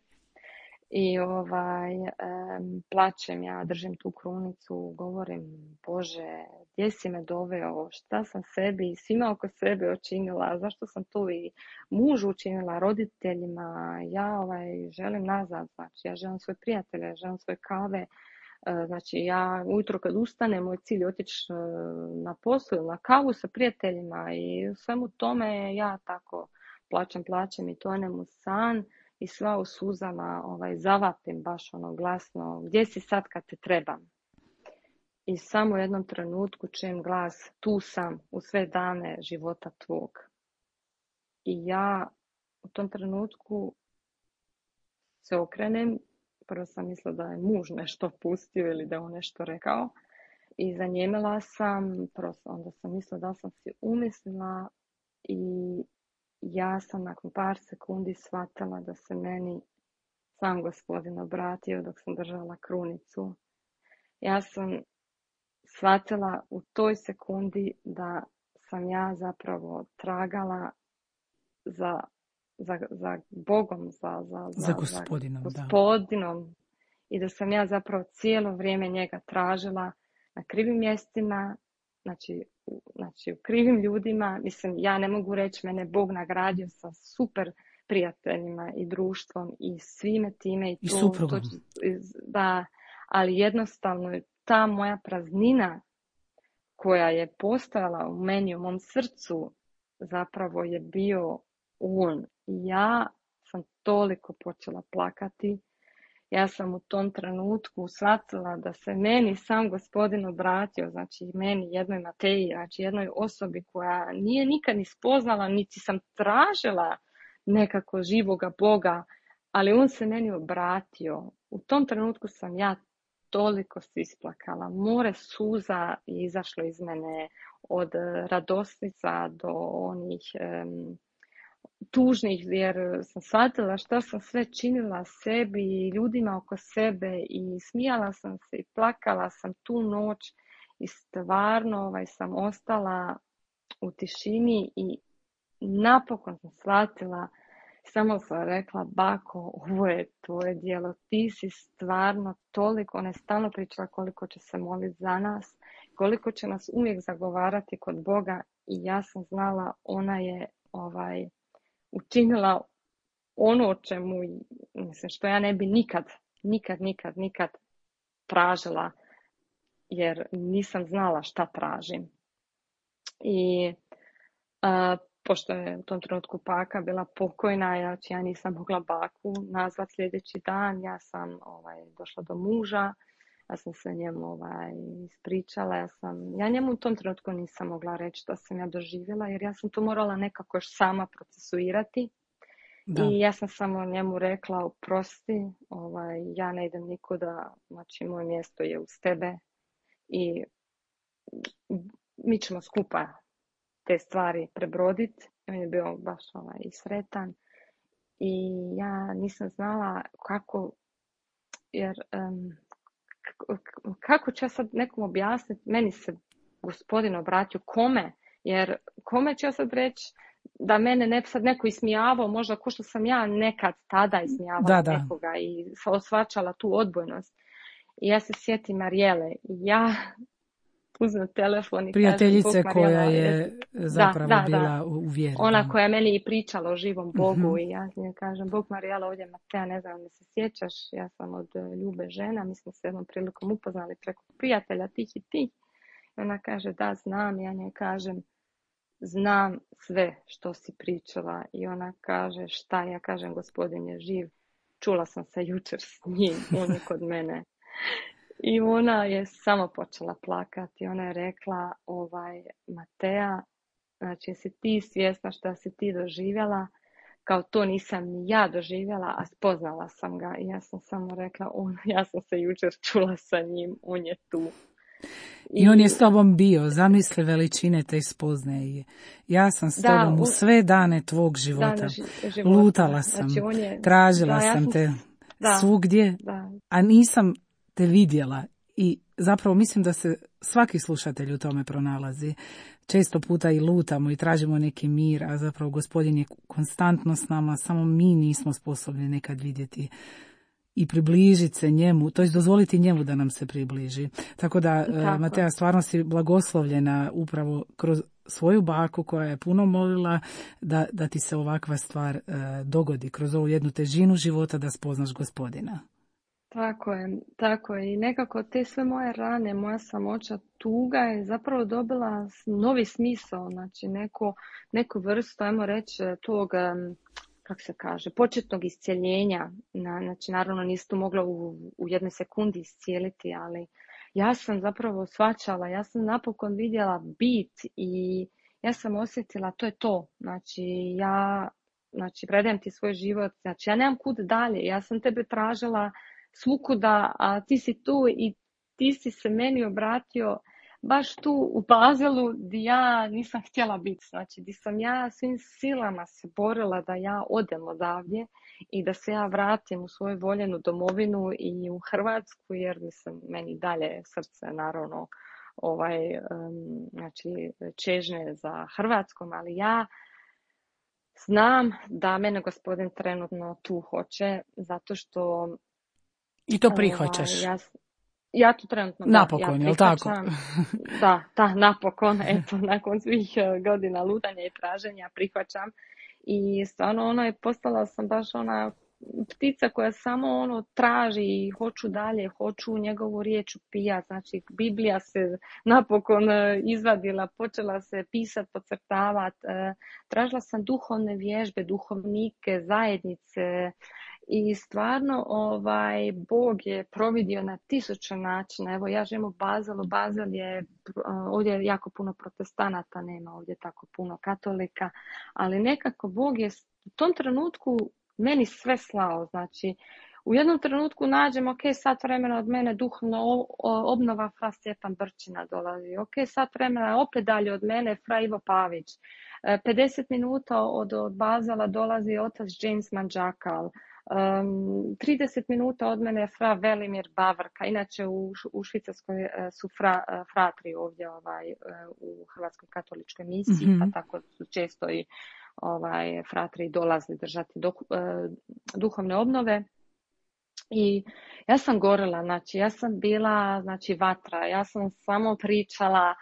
I ovaj, um, plačem ja, držim tu krunicu, govorim, Bože, gdje si me doveo, šta sam sebi i svima oko sebe učinila, zašto sam tu i mužu učinila, roditeljima, ja ovaj, želim nazad, znači ja želim svoje prijatelje, želim svoje kave, znači ja ujutro kad ustanem, moj cilj je otići na poslu, na kavu sa prijateljima i svemu tome ja tako plačem, plačem i tonem u san. I sva u suzama ovaj, zavapim baš ono glasno, gdje si sad kad te trebam? I samo u jednom trenutku čujem glas, tu sam u sve dane života tvog. I ja u tom trenutku se okrenem, prvo sam mislila da je muž nešto pustio ili da je on nešto rekao. I zanjemila sam, prvo onda sam mislila da sam si umislila i ja sam nakon par sekundi shvatila da se meni sam Gospodin obratio dok sam držala krunicu. Ja sam shvatila u toj sekundi da sam ja zapravo tragala za, za, za Bogom, za, za, za gospodinom. Za gospodinom. i da sam ja zapravo cijelo vrijeme njega tražila na krivim mjestima, znači, u, znači u krivim ljudima. Mislim, ja ne mogu reći, mene Bog nagradio sa super prijateljima i društvom i svime time. I, I to, suprugom. to, da, ali jednostavno je ta moja praznina koja je postojala u meni, u mom srcu, zapravo je bio on. I ja sam toliko počela plakati. Ja sam u tom trenutku shvatila da se meni sam Gospodin obratio, znači meni, jednoj Mateji, znači jednoj osobi koja nije nikad ni spoznala, niti sam tražila nekako živoga Boga, ali on se meni obratio. U tom trenutku sam ja toliko se isplakala. More suza je izašlo iz mene, od radosnica do onih um, tužnih, jer sam shvatila šta sam sve činila sebi i ljudima oko sebe i smijala sam se i plakala sam tu noć i stvarno ovaj, sam ostala u tišini i napokon sam shvatila, samo sam rekla, bako, ovo je tvoje djelo, ti si stvarno toliko, ona je stalno pričala koliko će se moliti za nas, koliko će nas uvijek zagovarati kod Boga i ja sam znala, ona je ovaj, učinila ono o čemu, mislim, što ja ne bi nikad, nikad, nikad, nikad tražila, jer nisam znala šta tražim. I a, pošto je u tom trenutku baka bila pokojna, znači ja nisam mogla baku nazvat sljedeći dan, ja sam ovaj, došla do muža, ja sam se njemu ovaj, ispričala, ja, sam, ja njemu u tom trenutku nisam mogla reći što sam ja doživjela, jer ja sam to morala nekako još sama procesuirati. Da. I ja sam samo njemu rekla, oprosti, ovaj, ja ne idem nikuda, znači moje mjesto je uz tebe i mi ćemo skupa te stvari prebroditi. On je bio baš ovaj, sretan i ja nisam znala kako, jer um, kako ću ja sad nekom objasniti, meni se Gospodin obratio, kome, jer kome ću ja sad reći da mene ne sad neko ismijavao, možda ko što sam ja nekad tada ismijavala da, da. nekoga i osvačala tu odbojnost. I ja se sjetim Marijele i ja uzmem telefon i prijateljice kažem, Bog, koja Marijela, je zapravo da, da, bila da. u vjeri. Ona koja je meni i pričala o živom Bogu mm-hmm. i ja njoj kažem, Bog, Marijela, ovdje Mateja, ne znam, ne se sjećaš, ja sam od Ljube žena, mi smo se jednom prilikom upoznali preko prijatelja tih i tih. I ona kaže, da, znam, ja njoj kažem, znam sve što si pričala. I ona kaže, šta? Ja kažem, Gospodin je živ, čula sam se jučer s njim, on je kod mene. I ona je samo počela plakati. Ona je rekla, ovaj, Mateja, znači jesi ti svjesna šta si ti doživjela, kao to nisam ni ja doživjela, a spoznala sam ga. I ja sam samo rekla, on, ja sam se jučer čula sa njim, on je tu. I, I on je s tobom bio, zamisli veličine te spoznaje. Ja sam s da, tobom u sve dane tvog života. Dane života. Lutala sam, znači, on je, tražila da, ja sam te da, svugdje, da. A nisam te vidjela. I zapravo mislim da se svaki slušatelj u tome pronalazi. Često puta i lutamo i tražimo neki mir, a zapravo Gospodin je konstantno s nama, samo mi nismo sposobni nekad vidjeti i približiti se njemu, to je dozvoliti njemu da nam se približi. Tako da, Tako. Mateja, stvarno si blagoslovljena upravo kroz svoju baku koja je puno molila da, da ti se ovakva stvar uh, dogodi, kroz ovu jednu težinu života da spoznaš Gospodina. Tako je, tako je. I nekako te sve moje rane, moja samoća, tuga je zapravo dobila novi smisao, znači neko, neku vrstu, ajmo reći, tog, kako se kaže, početnog iscijeljenja. Znači, naravno nisi to mogla u, u jednoj sekundi iscijeliti, ali ja sam zapravo shvaćala, ja sam napokon vidjela bit i ja sam osjetila, to je to. Znači, ja znači, predajem ti svoj život, znači ja nemam kud dalje, ja sam tebe tražila svukuda, a ti si tu i ti si se meni obratio baš tu u Bazelu gdje ja nisam htjela biti. Znači, gdje sam ja svim silama se borila da ja odem odavdje i da se ja vratim u svoju voljenu domovinu i u Hrvatsku, jer mislim, meni dalje srce naravno ovaj, um, znači, čežne za Hrvatskom, ali ja znam da mene Gospodin trenutno tu hoće, zato što I to prihvaćaš? Ovaj, ja, ja to trenutno, napokon, da, ja jel tako? da, da, napokon, eto, nakon svih godina lutanja i traženja prihvaćam. I stvarno ono je, postala sam baš ona ptica koja samo ono traži i hoću dalje, hoću njegovu riječ upijati. Znači, Biblija se napokon izvadila, počela se pisati, podcrtavati. Tražila sam duhovne vježbe, duhovnike, zajednice. I stvarno ovaj, Bog je providio na tisuće načina. Evo, ja živim u Bazelu. Bazel je, ovdje je jako puno protestanata, nema ovdje tako puno katolika, ali nekako Bog je u tom trenutku meni sve slao. Znači, u jednom trenutku nađem, ok, sat vremena od mene duhovno obnova, fra Stjepan Brčina dolazi. Ok, sat vremena opet dalje od mene, fra Ivo Pavić. pedeset minuta od, od Bazela dolazi otac James Manđakal. Um, trideset minuta od mene je fra Velimir Bavrka. Inače u, u Švicarskoj su fra, fratri ovdje ovaj, u Hrvatskoj katoličkoj misiji, mm-hmm. pa tako su često i ovaj, fratri dolazili držati do, uh, duhovne obnove. I ja sam gorela, znači ja sam bila znači vatra, ja sam samo pričala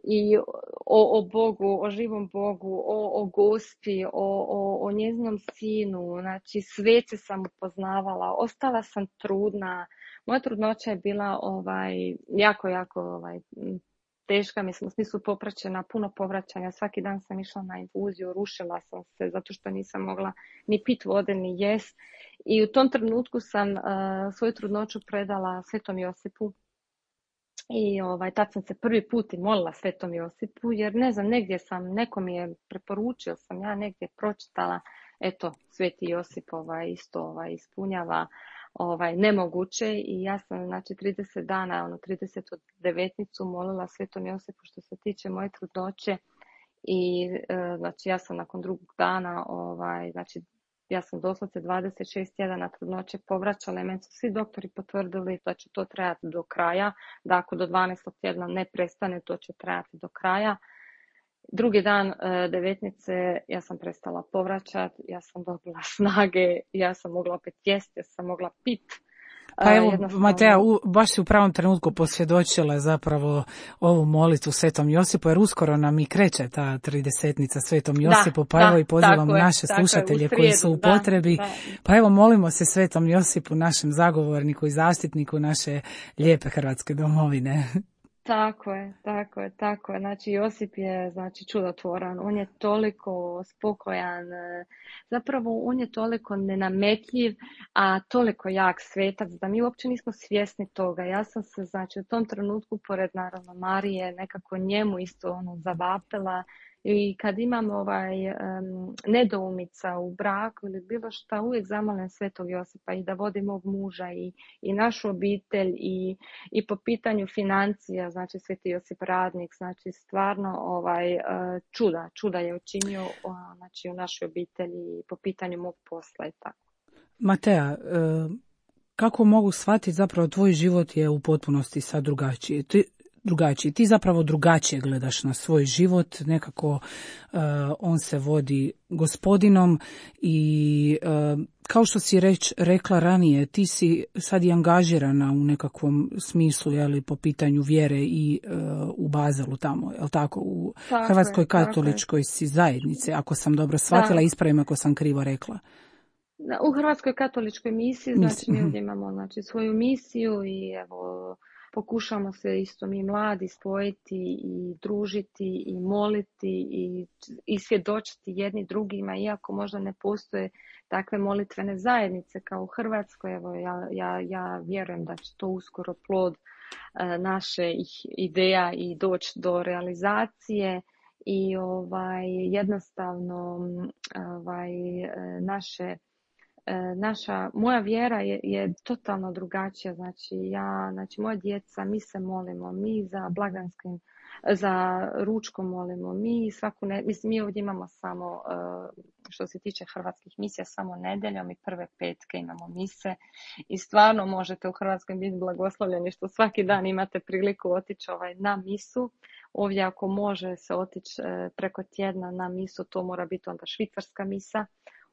i o, o Bogu, o živom Bogu, o, o Gospi, o, o, o njezinom sinu, znači sveće sam upoznavala, ostala sam trudna. Moja trudnoća je bila ovaj, jako, jako ovaj, teška, mislim, u smislu popraćena, puno povraćanja. Svaki dan sam išla na infuziju, rušila sam se zato što nisam mogla ni pit vode, ni jest. I u tom trenutku sam uh, svoju trudnoću predala Svetom Josipu. I ovaj, tad sam se prvi put i molila Svetom Josipu, jer ne znam, negdje sam, neko mi je preporučio, sam ja negdje pročitala, eto, Sveti Josip ovaj, isto ovaj, ispunjava ovaj, nemoguće i ja sam, znači, trideset dana, ono, tridesetu devetnicu molila Svetom Josipu što se tiče moje trudnoće i, e, znači, ja sam nakon drugog dana, ovaj, znači, ja sam doslovce dvadeset šest tjedana trudnoće povraćala i meni su svi doktori potvrdili da će to trajati do kraja, da ako do dvanaestog tjedna ne prestane, to će trajati do kraja. Drugi dan e, devetnice ja sam prestala povraćati, ja sam dobila snage, ja sam mogla opet jesti, ja sam mogla pit. Pa evo, jednostavno... Matea, u, baš si u pravom trenutku posvjedočila zapravo ovu molitvu Svetom Josipu, jer uskoro nam i kreće ta tridesetnica Svetom Josipu, da, pa evo da, i pozivam je, naše slušatelje je, srijedu, koji su u da, potrebi. Da. Pa evo, molimo se Svetom Josipu, našem zagovorniku i zaštitniku naše lijepe Hrvatske domovine. Tako je, tako je, tako je. Znači, Josip je, znači, čudotvoran. On je toliko spokojan. Zapravo, on je toliko nenametljiv, a toliko jak svetac da mi uopće nismo svjesni toga. Ja sam se, znači, u tom trenutku, pored, naravno, Marije, nekako njemu isto ono zavapila. I kad imam ovaj um, nedoumica u braku ili bilo šta, uvijek zamolim Svetog Josipa i da vodi mog muža i, i našu obitelj i, i po pitanju financija, znači Sveti Josip radnik, znači stvarno ovaj čuda, čuda je učinio znači u našoj obitelji i po pitanju mog posla i tako. Matea, kako mogu shvatiti zapravo tvoj život je u potpunosti sad drugačiji? Ti drugačiji. Ti zapravo drugačije gledaš na svoj život, nekako uh, on se vodi Gospodinom i uh, kao što si reć, rekla ranije, ti si sad i angažirana u nekakvom smislu, jeli, po pitanju vjere i uh, u Bazelu tamo, jel tako, u tako Hrvatskoj je, katoličkoj si zajednici, ako sam dobro shvatila, ispravim ako sam krivo rekla. U Hrvatskoj katoličkoj misiji, znači mi ovdje imamo znači, svoju misiju i evo pokušamo se isto mi mladi spojiti i družiti i moliti i, i svjedočiti jedni drugima, iako možda ne postoje takve molitvene zajednice kao u Hrvatskoj. Evo, ja, ja, ja vjerujem da će to uskoro plod e, naše ideja i doći do realizacije i ovaj, jednostavno ovaj, naše Naša, moja vjera je, je totalno drugačija, znači ja, znači moja djeca, mi se molimo, mi za blaganskim, za ručkom molimo, mi svaku, ne, mislim mi ovdje imamo samo, što se tiče hrvatskih misija, samo nedjeljom i prve petke imamo mise i stvarno možete u Hrvatskoj biti blagoslovljeni što svaki dan imate priliku otići ovaj, na misu. Ovdje ako može se otići preko tjedna na misu, to mora biti onda švicarska misa.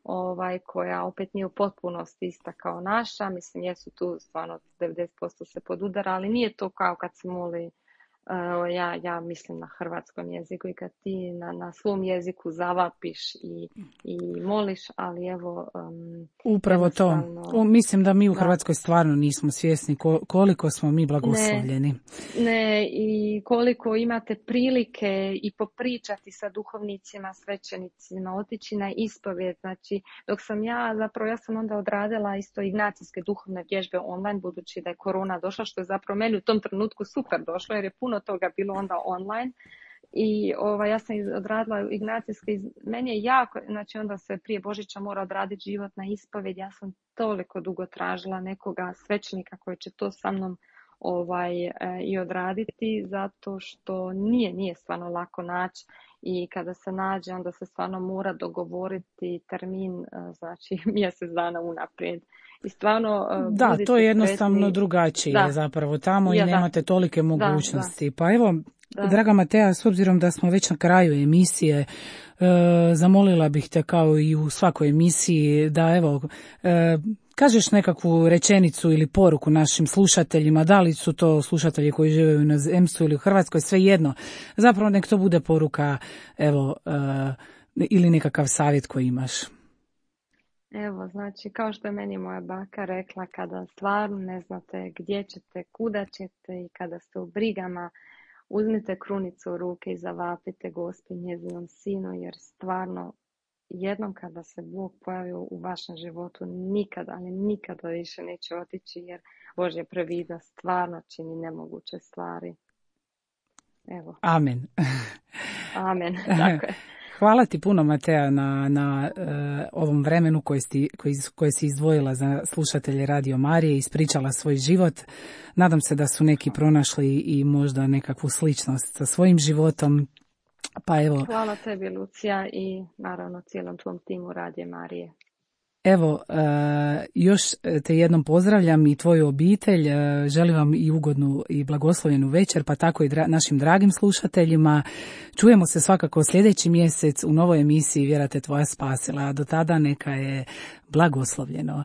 ovaj, koja opet nije u potpunosti ista kao naša. Mislim, jesu tu stvarno devedeset posto se podudara, ali nije to kao kad se moli. Uh, ja, ja mislim na hrvatskom jeziku i kad ti na, na svom jeziku zavapiš i, i moliš, ali evo... Um, Upravo to. U, mislim da mi u Hrvatskoj da. stvarno nismo svjesni koliko smo mi blagoslovljeni. Ne, ne, i koliko imate prilike i popričati sa duhovnicima, svećenicima, otići na ispovijed. Znači, dok sam ja, zapravo ja sam onda odradila isto ignacijske duhovne vježbe online, budući da je korona došla, što je zapravo meni u tom trenutku super došlo, jer je puno toga bilo onda online. I ovaj, ja sam odradila ignacijske, meni je jako, znači onda se prije Božića mora odraditi životna ispovjed. Ja sam toliko dugo tražila nekoga svećenika koji će to sa mnom ovaj, e, i odraditi, zato što nije, nije stvarno lako naći i kada se nađe onda se stvarno mora dogovoriti termin, znači mjesec dana unaprijed. I stvarno, da, to je jednostavno sretni. drugačije da. zapravo tamo ja, i nemate da. tolike mogućnosti. Da, da. Pa evo, Da. Draga Matea, s obzirom da smo već na kraju emisije, e, zamolila bih te kao i u svakoj emisiji da evo e, kažeš nekakvu rečenicu ili poruku našim slušateljima, da li su to slušatelji koji žive u inozemstvu ili u Hrvatskoj, svejedno. Zapravo nek to bude poruka evo e, ili nekakav savjet koji imaš. Evo, znači, kao što je meni moja baka rekla, kada stvarno ne znate gdje ćete, kuda ćete i kada ste u brigama, uzmite krunicu u ruke i zavapite Gospi njezinom sinu, jer stvarno jednom kada se Bog pojavi u vašem životu, nikada, ali nikada više neće otići, jer Božja previdnost stvarno čini nemoguće stvari. Evo. Amen. Amen, tako je. Hvala ti puno, Matea, na, na uh, ovom vremenu koje si, koji, koje si izdvojila za slušatelje Radio Marije, ispričala svoj život. Nadam se da su neki pronašli i možda nekakvu sličnost sa svojim životom. Pa evo. Hvala tebi, Lucija, i naravno cijelom tvom timu Radio Marije. Evo, uh, još te jednom pozdravljam i tvoju obitelj, uh, želim vam i ugodnu i blagoslovljenu večer, pa tako i dra- našim dragim slušateljima. Čujemo se svakako sljedeći mjesec u novoj emisiji Vjera te tvoja spasila, a do tada neka je blagoslovljeno.